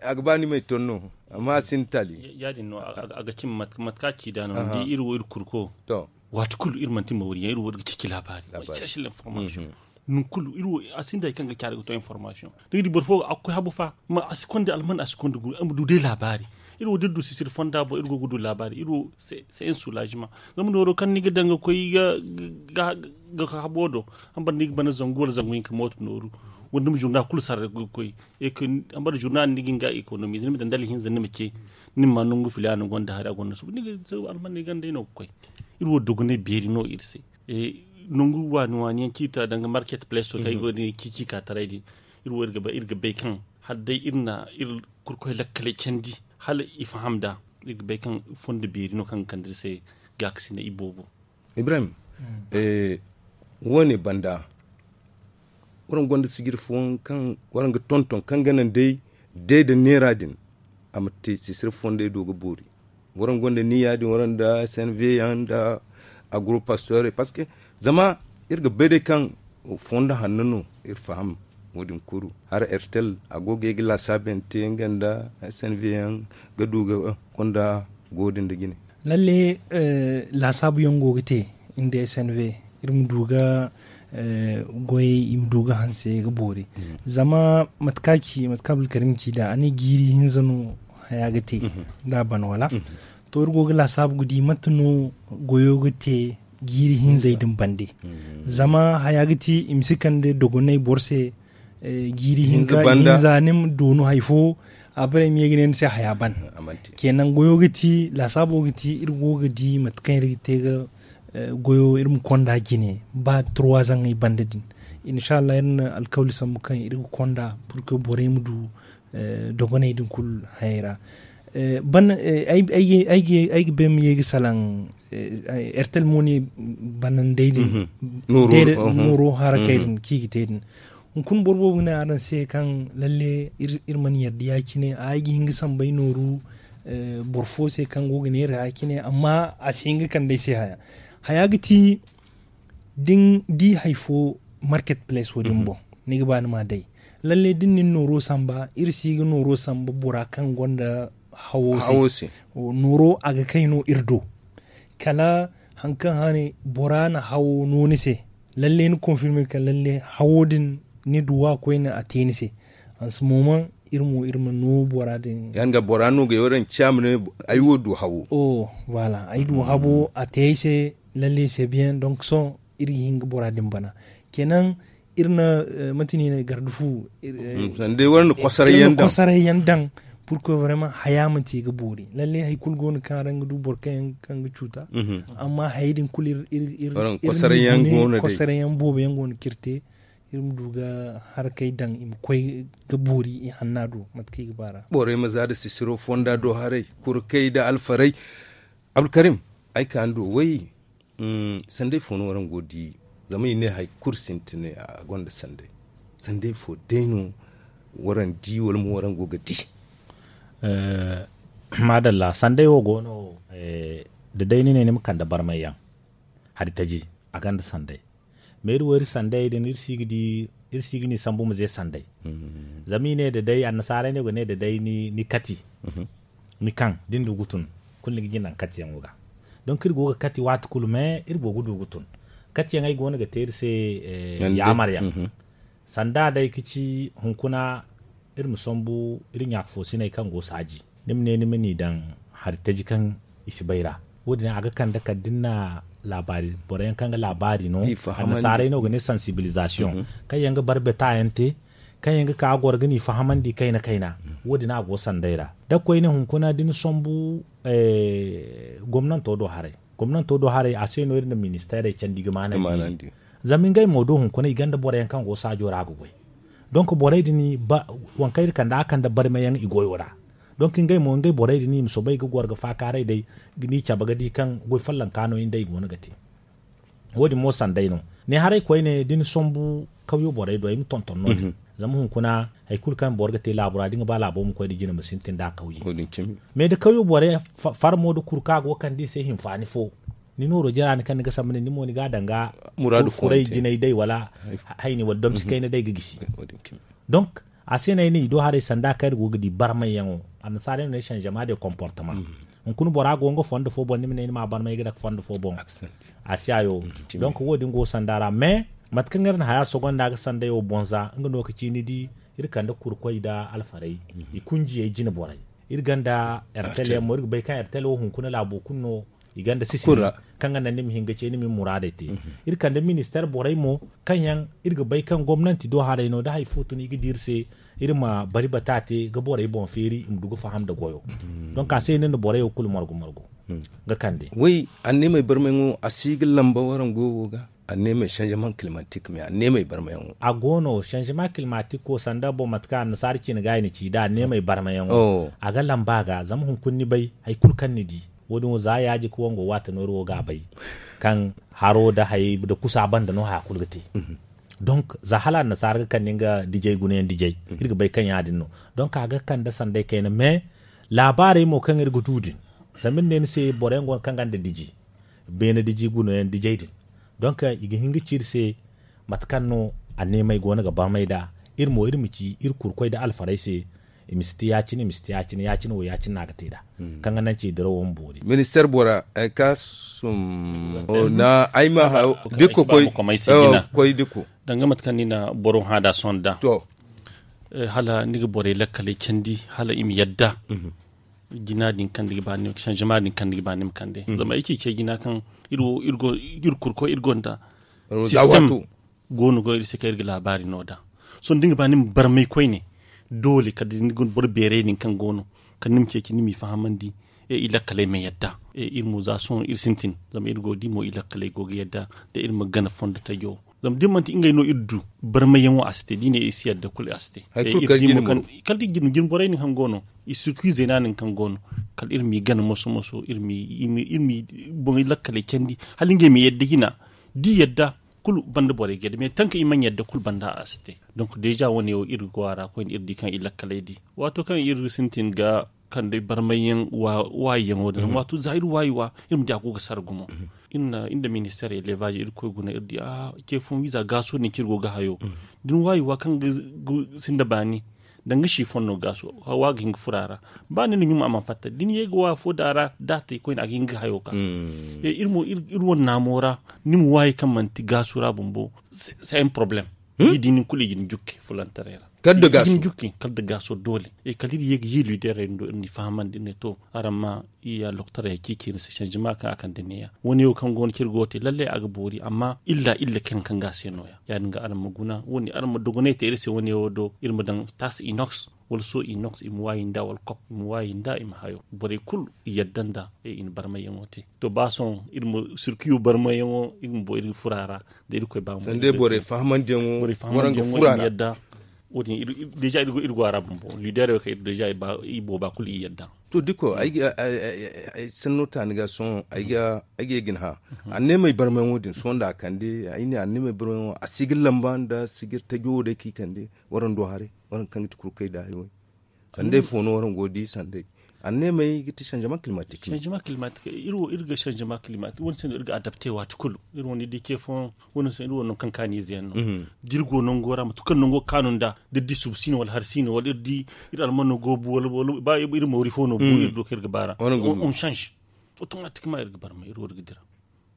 a ga ba ni may ton no amma a sinda taali. Ya- din no a ga cimi mate kaŋ a ci da no ni di iri wo iri kurko. Waati kulu iri manti mawri yaŋ iri wo iri ga ceeci laabaari. Cherche l'information. Nangu kulu iri wo a sinda hari kaŋ ga caari ga to information. Ni ga di boro fo a ga koy habu fa ma a si konda alman a si konda guru a ma du day laabaari. Iri wo da iri du sisiri fonda boŋ iri go ga du laabaari iri wo c'est un soulagement. Zama nooro kaŋ ni ga daŋ ga koy ga habo do hambara ni ga bana zangu wala zangu hinka mooto nooru wala ni ma journal kulu sarra ga koy. Hambara journal ni ga hin ga économie ni ma daŋ dala hinza ni ma ce ni ma ma nangu filaana gonda hari a gonda suba ni ga alman ni ganda no ga koy. Iri wo dogonay beeri no iri se. Nangu waani waani yaŋ ciita danga market place wo kaŋ ay go ga ne ciici ka taray din. Iri wo iri ga bay kaŋ hala day iri na iri kurkoy lakkaley candi hala i faham nd'a. Iri ga bay kaŋ fondo beeri no kaŋ ga kande iri se gaakasinay iboobo. Ibrahim, wo- ne banda waraŋ gonda sijiri fooyaŋ kaŋ waraŋ ga tonton kaŋ ga naŋ day day nda neera din a ma te sisiri fondey do ga boori. Waraŋ gonda ni ya- din waraŋ nda snv yaŋ nda agro pastorey parceque zama iri ga bay day kaŋ fondo hanno no iri faham. Wo- din kulu hara ertel a go ga ay ga laasaabante nga nda snv yaŋ ga du ga konda go- din nda jine. Lalle laasaabu yaŋ go ga te nda snv iri ma du ga goyey i ma du ga hanse ga boori. Zama mate kaŋ a ci mate kaŋ abdulkarim ci nd'a a ne jiiri hinza no haya ga te. Da a ban wala to iri go ga laasaabu ga di mate no goyo ga te jiiri hinzey din bande. Zama haya ga ti i ma si kande dogonay boro se jiiri hinza ni ma doonu hari fo a bare ma ye ga ne ni se haya ban. Kenan goyo ga ti laasaabo ga ti iri go ga di mate kaŋ iri ga te ga goyo iri ma konda jine ba turwa zaŋay banda din. Inshallah iri na alkawli sambu kaŋ iri ga konda purke borey ma du dogoney din kulu hayey ra. Ban ay ga bay ma ye ga salaŋ ertel mo ne banandey din nooro harakey din kaŋ i ga te din. Hunkuna boro boobo ga ne araŋ se kaŋ lalle iri mana yarda ya- cine a ay ga hin ga sambay nooru boro fo se kaŋ go ga neera ya- cine amma a si hin ga kande ay se haya. Haya ga ti da ni di hari fo Market place wo din boŋ, ni ga ba ni ma a day. Lalle da ni na ni nooro samba, iri si ga nooro samba bora kaŋ gonda hawo se. Nooro a ga kay no iri do. Kala hari kaŋ hane bora na hawo no ni se, lalle ni confirmer kaŋ lalle hawo din ni duw'a koyne a te ni se. Hanse mo man iri mo iri ma no bora din. Yaŋ ga bora no ga yaw daŋ ciya ma ne ay wo du hawo. Voilà, ay du habo a te ay se. Lalle se biyaŋ donk sohõ iri ga hin ga bora din bana. Kenan iri na mate no i ne garde fu. Sanda day war na kosaray yaŋ daŋ. Pour que vraiment haya manti ga boori lalle hari kulu go no kaŋ araŋ ga du boro kaŋ ga cuuta. Amma hayey din kulu iri kosaray yaŋ boobo yaŋ go no kaŋ iri te. Iri ma du ga harakey daŋ i ma koy ga boori i hanna do mate kaŋ i ga ba ra. Borey ma za nda sisiro fonda do haray kurkey nda alfarey. Abdulkarim, ay ka ni do way. Sanday fo no waraŋ go ga di? Zama i ne hari kulu sintina a gonda sanday. Sanday fo day no waraŋ di wala mo waraŋ go ga di? Maadalla sanday wo go no. Da day ni ne ni ma kande barmay yaŋ hari taji a gonda sanday. Ma iri wo iri sanday din iri si ga ni sambu ma ze sanday. Zama i ne da day annasaarey no ga ne da day ni kati ni kaŋ da ni du ga tun kulu ni ga jina naŋ katiyaŋo ga. Donk iri go ga kati waati kulu me iri go ga du ga tun. Katiyaŋey go no ga te iri se yaamaryaŋ. Sanda day ga ci hunkuna iri ma sambu iri ɲaaka foosiney kaŋ go saaji ni ma ne ni ma n'i daŋ hari taji kaŋ i si bay ra. Wo- din a ga kande kala da ni na laabaari boro yaŋ kaŋ ga laabaari no annasaarey no ga ne sansibilizasiyoŋ kaŋ yaŋ ga barbeta yaŋ te kaŋ yaŋ ga ka ga goro ga n'i fahamandi kayna kayna. Wo- din a go sanday ra da koyne hunkuna da ni sambu gomnanto do haray. Gomnanto do haray a se no iri na ministeerey candi ga maanandi. Zama ngey mo do hunkuna i gonda boro yaŋ kaŋ go saajo ra ga goy. Donk borey din waŋ kaŋ iri kande a kande barmayaŋ i goyo ra. Donk ngey mo ngey borey din i ma soobay ga goro ga faakaaray day ga ni cabe ga di kaŋ goy follonka no i nda i go no ga te. Wo- din mo sanday no. Ne haray koyne da ni sambu kawyo borey do ay ma tonton no- din. Zama hunkuna hari kulu kaŋ boro ga te laabo ra da ni ga ba laabo ma koy da jine ma sintin da a kawye. Mais da kawyo borey farmo da kuru kaŋ a go ga kande i se hinfaani fo ni nooro jara ni kaŋ ni ga samba ne ni mo ni ga a daŋ ga kuray jinay day wala hayni wala domsi kayna day ga gisi. Donk a se no ay ne i do haray sanda kaŋ iri go ga di barmayyaŋo annasaarey no ne changement de comportement. Hunkuna bora go nga fondo fo boŋ ni ma ne ni ma a barmay ga dake fondo fo boŋ. A si hayo. Donk wo- din go sanda ra mais mate kaŋ iri na haya sogonda ga sanday wo boŋ za nga no ga ci ni di iri kande kurkoy nda alfarey i kunjiyey jine borey. Iri gonda ertel yaŋ mo iri ga bay kaŋ ertel wo hunkuna laabo kulu no i gonda sisiri kaŋ ga naŋ ni ma hin ga ce ni ma ni muraadey te. Iri kande ministeer borey mo kaŋ yaŋ iri ga bay kaŋ gomnanti do haray no da hari fo tun i ga di iri se iri ma bari bata te ga borey boŋ feeri i ma du ga faham nda goyo. Donk a se no ni na borey wo kulu margu margu ga kande. Way anneemey barmayaŋo a si ga lamba warango wo ga anneemey changement climatique mais anneemey barmayaŋo a go no changement climatique wo sanda boŋ mate kaŋ annasaara cine ga i na ci da anneemey barmayaŋo a ga lamba a ga zama hunkuna ni bay hari kulu kaŋ ni di wo- din wo za yaaji ka wango waate nooru wo ga a bay kaŋ haro nda hayey nda kusa banda no haya kulu ga te. Donk za hala annasaara ga kande nga dijey gunayaŋ dijey iri ga bay kaŋ ya- din no. Donk a ga kande sanday kayna mais laabaarey mo kaŋ iri ga du din zama iri ne ni se boro yaŋ go no kaŋ gonda diji beene diji gunayaŋ dijey din. Donk i ga hin ga ci iri se mate kaŋ no anneemey go no ga barmay nd'a iri mo iri ma ci iri kurkoy nda alfarey se i ma si te ya- cine i ma si te ya- cine ya- cine wo ya- cine no a ga te nd'a kaŋ ga naŋ ci dirawo ma boori. Ministeer bora ay ka sum na ay ma dikko koy dikko danga mate kaŋ ni na boro hã nd'a sohõ nd'a to hala ni ga borey lakkaley candi hala i ma yadda jina din kaŋ ni ga ba ni ma kande changement din kaŋ ni ga ba ni ma kande zama ay ci ce jina kaŋ iri wo iri go iri kurkoy iri gonda système go no go iri se kaŋ iri ga laabaari no nd'a sohõ da ni ga ba ni ma barmay koyne doole kala da ni ga boro beeray din kaŋ go no kala ni ma ceeci ni m'i fahamandi i lakkaley ma yadda iri mo za sohõ iri sintin zama iri go ga di mo i lakkaley go ga yadda da iri ma gana fondo tajo zama da ni manti ngey no iri du barmayyaŋo a si te da i ne iri si yadda kulu a si te kala da iri jine borey din kaŋ go no i sirkuy zeena din kaŋ go no kala iri m'i gana moso moso iri m'i boŋey lakkaley candi hala ngey ma yadda jina da i yadda kulu banda borey ga yadda mais tanka i mana yadda kulu banda a si te. Donc deja wo- ne wo iri ga go a ra koyne iri di kaŋ i lakkaley di waato kaŋ iri sintin ga Kande barmayyaŋ waayiyaŋo din, wato za iri waayi wa, iri ma di a go ga sara gumo. Iri nda ministeer elevaazi iri koy guna iri di a ce fooyaŋ wiiza gaaso din kaŋ iri go ga hayo. Da ni waayi wa kaŋ ga sinda baani, danga siifon no gaaso hawa ga hin ga furo a ra. Ba ni na ɲuma a mana fatta da ni ye ga wa fo da a ra da a te koyne a ga hin ga hayo ka. Iri mo iri wane naamo ra, ni ma waayi kaŋ manti gaaso ra bumbo. C'est un problème. Ni di nin kulu i ga ni jukki fulantaray ra. Kala da gaaso doole. Kala iri ye ga yi liiderey din do iri n'i fahamandi iri ne to, araŋ ma iya loktaray ya ciici ni se sanzima kaŋ a kande neeya wane wo kaŋ go no ciri go te lalle a ga boori amma illa illa kaŋ kaŋ ga a se no- ya ya- din ga araŋ ma guna wane araŋ ma dogonay te iri se wane wo do iri ma daŋ taasi inox, wala so inox i ma waayi nda wala kop i ma waayi nda i ma hayo borey kulu i yadda nda i na barmayyaŋo te. To ba sohõ iri ma sirkiyo barmayyaŋo iri ma boori fura ra. Da iri koy ba mu sanda borey fahamandiyaŋo waraŋ ga fura ra. Wo- din deja iri go a ra bumbo liiderey wo kaŋ iri deja i booba kulu i yadda. To diko ay ga ay sanno taani ga sohõ ay ga ay ga ye ga ni hã. Anneemey barmayaŋo din sohõ nda a kande ay ne anneemey barmayaŋo a si ga lamba nda sigir tajo wo day kaŋ i kande waraŋ do haray waraŋ kaŋ ga ti kurkey da hayo. Sanday fo no waraŋ go ga di sanday anneemey ga ti sanzama kilimatik. Sanzama kilimatik iri wo iri ga sanzama kilimatik wo- din se no iri ga adapte waati kulu. Iri wo ni di ce fooyaŋ wo- din se iri wo nangu kaŋ kaaniize yaŋ no da iri go nango ra mate kulu kaŋ nango ga kaanu nda da iri di suba si no wala hari si no wala iri di iri almano go bu wala ba iri moori fo no bu iri do kaŋ iri ga baara. On sanze otomatikman iri ga barma iri wo iri ga dira.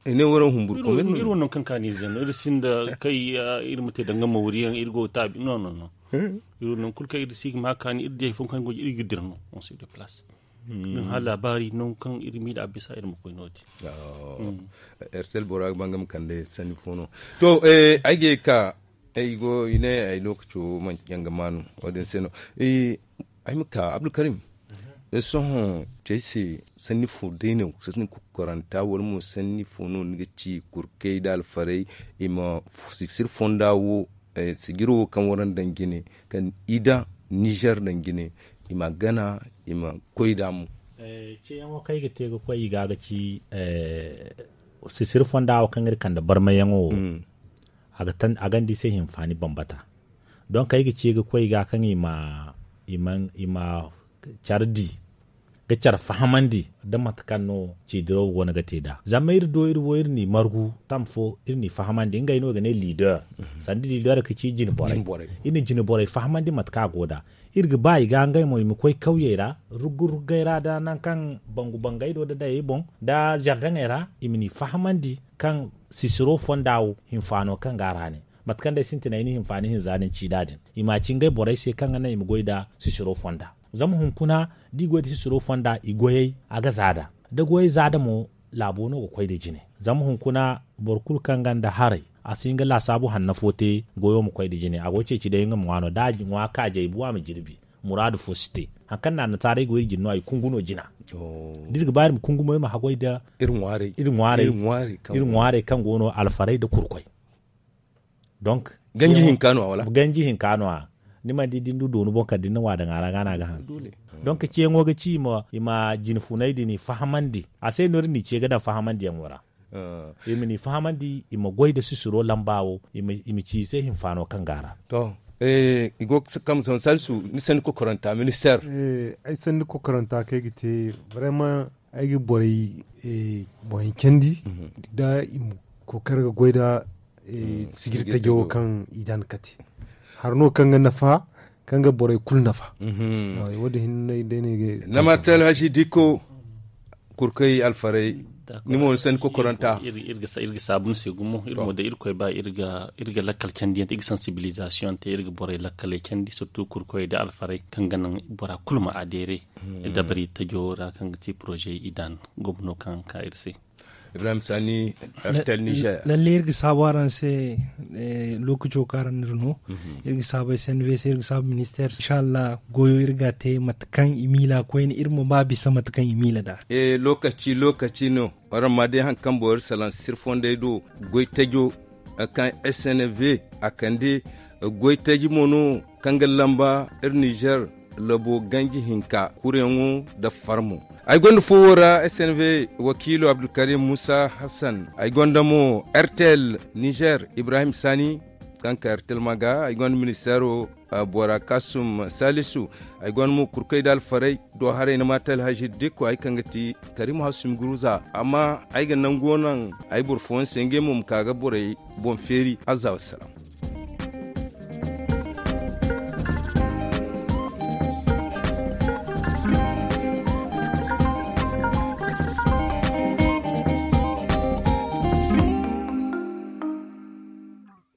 I ne waraŋ humburu komin no iri wo nangu kaŋ kaaniize yaŋ no iri sinda kay iri ma te danga moori yaŋ iri go ga taabi no no no. Iri wo nangu kulu kaŋ iri si ga ma kaani iri di hari fooyaŋ kaŋ go iri ga dira no. On se de place. Nin hã laabaari nangu kaŋ iri miila a bisa iri ma koy no- din. Ertel bora ga ba nga ma kande sanni fo no. To ay ga ye ga ka ay go i ne ay lookaco manci yaŋ ga maanu wo- din se no. Ay ma ka abdulkarim sohõ cey se sanni fo day no sanni kokoranta wala mo sanni fo no ni ga ci kurkey nda alfarey i ma sisir fonda wo sijiro wo kaŋ waraŋ daŋ jine kaŋ i daŋ nizer daŋ jine i ma gana i ma koy nd'a mo. Ceeyaŋo kaŋ ay ga te ga koy i ga ga ci sisiri fonda wo kaŋ iri kande barmayyaŋo wo a ga ni di i se hinfaani bambata. Donk ay ga ce ga koy i ga kaŋ i ma care di ga care fahamandi nda mate kaŋ no ceediraw go no ga te nd'a zama iri do iri wo iri n'i margu tam fo iri n'i fahamandi ngey no i ga ne liider sanda liider ga ci jine borey. Iri na jine borey fahamandi mate kaŋ a go nd'a iri ga ba i ga ngey mo i ma koy kawyey ra rugga ruggay ra nda nangu kaŋ bangu bangey do nda dayey boŋ nda zardaŋey ra i ma n'i fahamandi kaŋ sisiro fonda wo hinfaano kaŋ go a ra ne mate kaŋ day sintinay ni hinfaani hinza din ci nd'a din i m'a ci ngey borey se kaŋ ga naŋ i ma goy nda sisiro fonda. Zama hunkuna da i goy nda sisiro fonda i goyey a ga za nd'a da goyey za nd'a mo laabo no ga koy nda jine. Zama hunkuna boro kulu kaŋ gonda haray a si hin ga laasaabu hanno fo te goyo ma koy nda jine a go ga ceeci day nga ma ŋwa no da a ŋwa kaajey bu a ma jirbi. Muraadu fo si te. Hari kaŋ naanataarey go iri jine no a i kungu no jina. Da iri ga ba iri ma kungu mo iri ma haggoy nda iri ŋwaarey iri ŋwaarey kaŋ go no alfarey nda kurkoy. Donk ganji hinka no a wala ganji hinka no a ni mana di da ni du doonu boŋ kala da ni na ŋwa daŋ a ra ga no a ga haŋ. Donk ceeyaŋo ga ci i ma jine funay din i fahamandi a se no iri n'i ce ga daŋ fahamandiyaŋo ra. I ma n'i fahamandi i ma goy nda sisiro lamba wo i ma ci i se hinfaano kaŋ go a ra. To i go ga kambe sohõ salisu ni sanni kokoranta ministeer. Ay sanni kokoranta kaŋ ay ga te barema ay ga borey boŋ candi da i ma kookari ga goy nda sijiri tajo wo kaŋ i daŋ ga kate. Hari no kaŋ ga nafa kaŋ ga borey kulu nafa. Wo- din hinne day no ay ga nama te alhazi dikko kurkey alfarey ni mo ni sanni kokoranta. Iri ga saabu ni se gumo iri mo da irkoy ba iri ga lakkal candiyaŋ te iri ga sansibilizasiyoŋ te iri ga borey lakkaley candi sirtu kurkoy da alfarey kaŋ ga naŋ bora kulu ma adeere dabari tajo ra kaŋ ga ti porozey i daŋ gomno kaŋ ka iri se. Ibrahim sani, rtl niger. Lalle iri ga saabu araŋ se. Lookaco kaŋ araŋ n'iri no iri ga saabu snv se iri ga saabu ministeer inshallah goyo iri ga a te mate kaŋ i miila koyne iri ma ba bisa mate kaŋ i miila nd'a. Lookaci lookaci no. Araŋ ma day hari kaŋ boro iri salaŋ sirfondey do goy tajo kaŋ snv a kande goy taji mo no kaŋ ga lamba iri nizer labo ganji hinka kureyaŋo nda farmo. Ay gonda fo wo ra snv wakiilo abdulkarim musa hassan ay gonda mo rtl nizer ibrahim sani. kaŋ ka yar tilma ga ay gonda ministeero bora kasum salisu. Ay gonda mo kurkoy da alfaray do haray ni maata alhazi dikko ay kaŋ ga ti karim hasumi guruza amma ay ga nango naŋ ay boro fooyaŋ se ngey mo ma ka ga borey boŋ feeri azza wassalam.